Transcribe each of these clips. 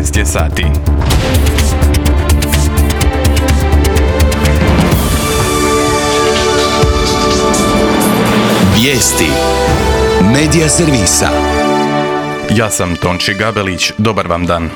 12 je sati. Vijesti Medija servisa. Ja sam Tonči Gabelić, dobar vam dan.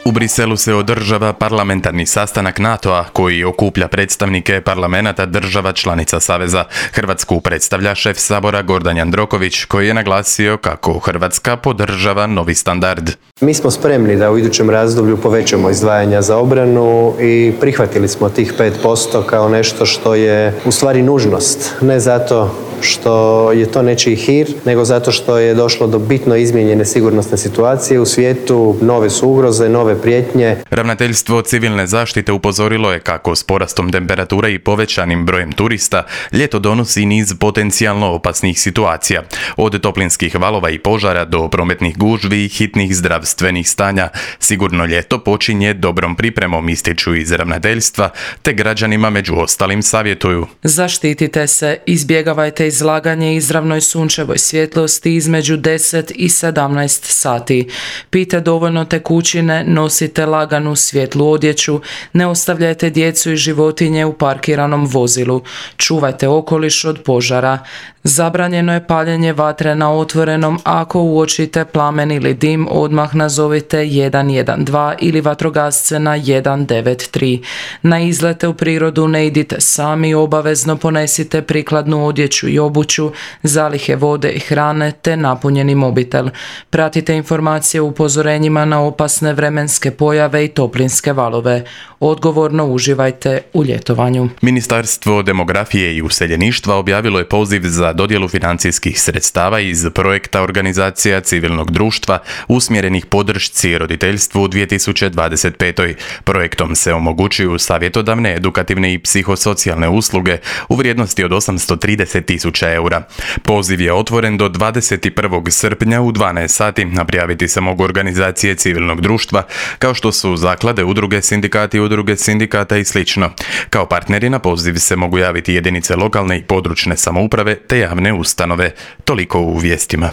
U Briselu se održava parlamentarni sastanak NATO-a koji okuplja predstavnike parlamenata država članica Saveza. Hrvatsku predstavlja šef Sabora Gordan Jandroković koji je naglasio kako Hrvatska podržava novi standard. Mi smo spremni da u idućem razdoblju povećamo izdvajanja za obranu i prihvatili smo tih 5% kao nešto što je u stvari nužnost. Ne zato što je to nečiji hir, nego zato što je došlo do bitno izmijenjene sigurnosne situacije u svijetu, nove su ugroze, nove prijetnje. Ravnateljstvo civilne zaštite upozorilo je kako s porastom temperature i povećanim brojem turista ljeto donosi niz potencijalno opasnih situacija. Od toplinskih valova i požara do prometnih gužvi i hitnih zdravstvenih stanja. Sigurno ljeto počinje dobrom pripremom, ističu iz ravnateljstva, te građanima među ostalim savjetuju. Zaštitite se, izbjegavajte izlaganje izravnoj sunčevoj svjetlosti između 10 i 17 sati. Pijte dovoljno tekućine, nosite laganu svjetlu odjeću, ne ostavljajte djecu i životinje u parkiranom vozilu, čuvajte okoliš od požara. Zabranjeno je paljenje vatre na otvorenom, ako uočite plamen ili dim, odmah nazovite 112 ili vatrogasce na 193. Na izlete u prirodu ne idite sami, obavezno ponesite prikladnu odjeću i obuću, zalihe vode i hrane te napunjeni mobitel. Pratite informacije o upozorenjima na opasne vremenske pojave i toplinske valove. Odgovorno uživajte u ljetovanju. Ministarstvo demografije i useljeništva objavilo je poziv za dodjelu financijskih sredstava iz projekta organizacija civilnog društva usmjerenih podršci roditeljstvu u 2025. Projektom se omogućuju savjetodavne, edukativne i psihosocijalne usluge u vrijednosti od 830.000 eura. Poziv je otvoren do 21. srpnja u 12 sati, a prijaviti se mogu organizacije civilnog društva kao što su zaklade, udruge, sindikati, udruge sindikata i sl. Kao partneri na poziv se mogu javiti jedinice lokalne i područne samouprave te javne ustanove. Toliko u vijestima.